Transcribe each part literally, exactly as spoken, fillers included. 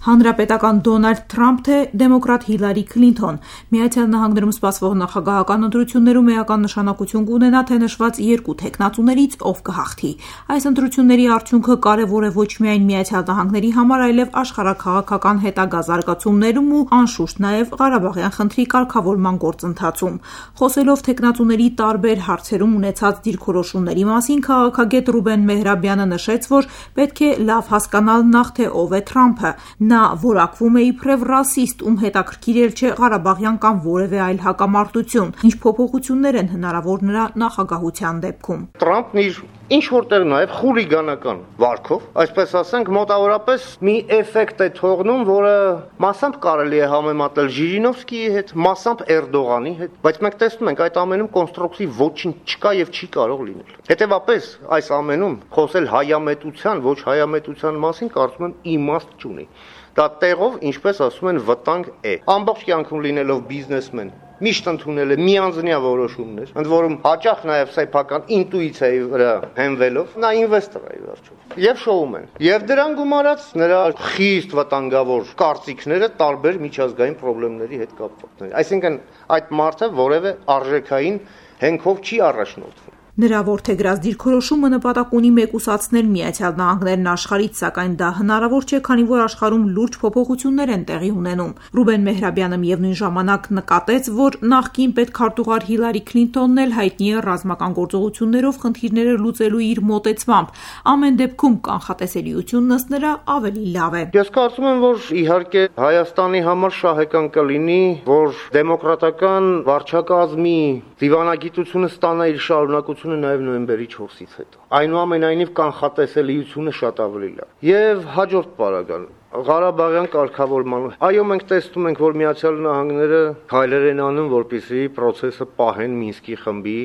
Հանրապետական Դոնալդ Թրամփ թե դեմոկրատ Հիլարի Քլինթոն։ Միացյալ Նահանգներում սպասվող նախագահական ընտրություններում էական նշանակություն կունենա, թե նշված երկու թեկնածուներից ով կհաղթի։ Այս ընտրությունների արդյունքը կարևոր է ոչ միայն Միացյալ Նահանգների համար, այլև աշխարհաքաղաքական հետագա զարգացումներում ու անշուշտ նաև Ղարաբաղյան խնդրի կարգավորման գործընթացում։ Խոսելով թեկնածուների տարբեր հարցերում ունեցած դիրքորոշումների մասին, քաղաքագետ Ռուբեն Մեհրաբյանը նշեց, որ պետք է լավ հասկանալ նախ թե ով է Թրամփը։ Նա որակվում է իբրև ռասիստ, ում հետաքրքիր էլ չէ Ղարաբաղյան կամ որևէ այլ հակամարտություն, ինչ փոփոխություններ են հնարավոր նրա նախագահության դեպքում։ Թրամփն իր ինչ որտեղ նաև խուլիգանական վարքով, այսպես ասենք, մոտավորապես մի էֆեկտ է թողնում, որը մասամբ կարելի է համեմատել Ժիրինովսկիի հետ, մասամբ Էրդողանի հետ, բայց մենք տեսնում ենք այդ ամենում կոնստրուկտիվ ոչինչ չկա եւ չի կարող լինել։ Հետևաբար այս ամենում խոսել հայամետության, ոչ հայամետության մասին կարծում եմ իմաստ չունի։ Դա տեղով, ինչպես ասում են, վտանգ է։ Ամբողջ կյանքում լինելով բիզնեսմեն, միշտ ընդունել է միանձնյա որոշումներ, ընդ որում հաճախ նաև սեփական ինտուիցիայի վրա հենվելով, նա ինվեստոր է վերջում։ Եվ շոումեն։ Եվ դրան գումարած նրա խիստ վտանգավոր կարծիքները տարբեր միջազգային խնդիրների հետ կապված։ Այսինքն այդ մարդը որևէ արժեքային հենքով չի առաջնորդվում։ Նրա որդեգրած դիրքորոշումը նպատակ ունի մեկուսացնել Միացյալ Նահանգներն աշխարհից, սակայն դա հնարավոր չէ, քանի որ աշխարհում լուրջ փոփոխություններ են տեղի ունենում։ Ռուբեն Մեհրաբյանը միևնույն ժամանակ նկատեց, որ նախկին պետքարտուղար Հիլարի Քլինթոնն էլ հայտնի է ռազմական գործողություններով խնդիրները լուծելու իր մոտեցմամբ։ Ամեն դեպքում կանխատեսելիությունն ըստ նրա ավելի լավ է։ Ես կարծում եմ, որ իհարկե Հայաստանի համար շահեկան կլինի, որ դեմոկրատական վարչակազմի դիվանագիտությունը ստանա իր շարունակությունը նաև նոյեմբերի չորսից հետո։ Այնուամենայնիվ կանխատեսելիությունը շատ ավելի լավ։ Եվ հաջորդ պարագան Ղարաբաղյան կարգավորման։ Այո, մենք տեսնում ենք, որ Միացյալ Նահանգները քայլեր են անում, որպեսզի process-ը պահեն Մինսկի խմբի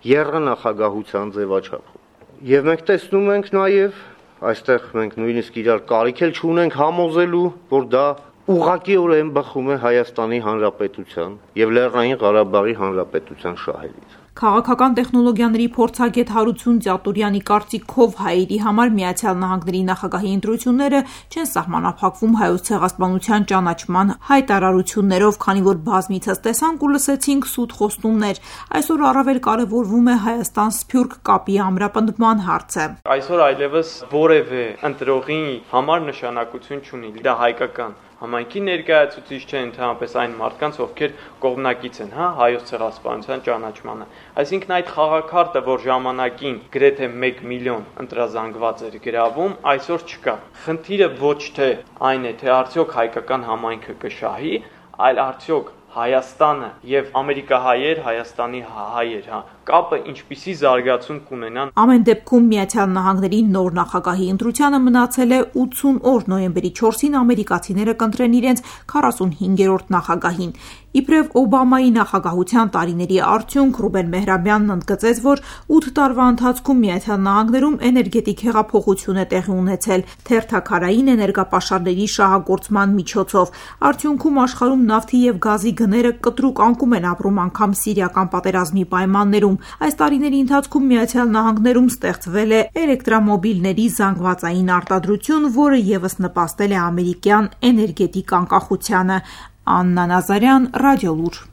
եռնախագահության ձևաչափով։ Եվ մենք տեսնում ենք նաև, այստեղ մենք նույնիսկ իրար կարիք էլ չունենք համոզելու, որ դա ուղղակիորեն բխում է Հայաստանի Հանրապետության եւ Լեռնային Ղարաբաղի Հանրապետության շահերից։ Քաղաքական տեխնոլոգիաների փորձագետ Հարություն Ծատուրյանի կարծիքով հայերի համար Միացյալ Նահանգների նախագահի ընտրությունները չեն սահմանափակվում հայոց ցեղասպանության ճանաչման հայտարարություններով, քանի որ բազմիցս տեսանք ու լսեցինք սուտ խոստումներ։ Այսօր առավել կարևորվում է Հայաստան-Սփյուռք կապի ամրապնդման հարցը։ Այսօր այլևս որևէ ընտրողի համար նշանակություն չունի, դա հայկական համայնքի ներկայացուցիչ չէ, ընդհանրապես այն մարդկանց, ովքեր կողմնակից են, հա, հայոց ցեղասպանության ճանաչմանը։ Այսինքն այդ խաղաքարտը, որ ժամանակին գրեթե մեկ միլիոն ընտրազանգված էր գրավում, այսօր չկա։ Խնդիրը ոչ թե այն է, թե արդյոք հայկական համայնքը կշահի, այլ արդյոք Հայաստանը եւ ամերիկահայեր, Հայաստանի հայեր, հա, կապը ինչպիսի զարգացում կունենան։ Ամեն դեպքում Միացյալ Նահանգների նոր նախագահի ընտրությանը մնացել է ութ օր, նոյեմբերի չորսին ամերիկացիները կընտրեն իրենց քառասունհինգերորդ նախագահին։ Իբրև Օբամայի նախագահության տարիների արդյունք Ռուբեն Մեհրաբյանն ընդգծեց, որ ութ տարվա ընթացքում Միացյալ Նահանգներում էներգետիկ հեղափոխություն է տեղի ունեցել թերթաքարային էներգապաշարների շահագործման միջոցով։ Արդյունքում աշխարհում նավթի եւ գազի գները կտրուկ անկում են ապրում, անգամ Սիրիական պատերազմի պայմաններում։ Այս տարիների ընթացքում Միացյալ Նահանգներում ստեղծվել է էլեկտրամոբիլների զանգվածային արտադրություն, որը ևս նպաստել է ամերիկյան էներգետիկ անկախությանը։ Աննա Նազարյան, Ռադիոլուր։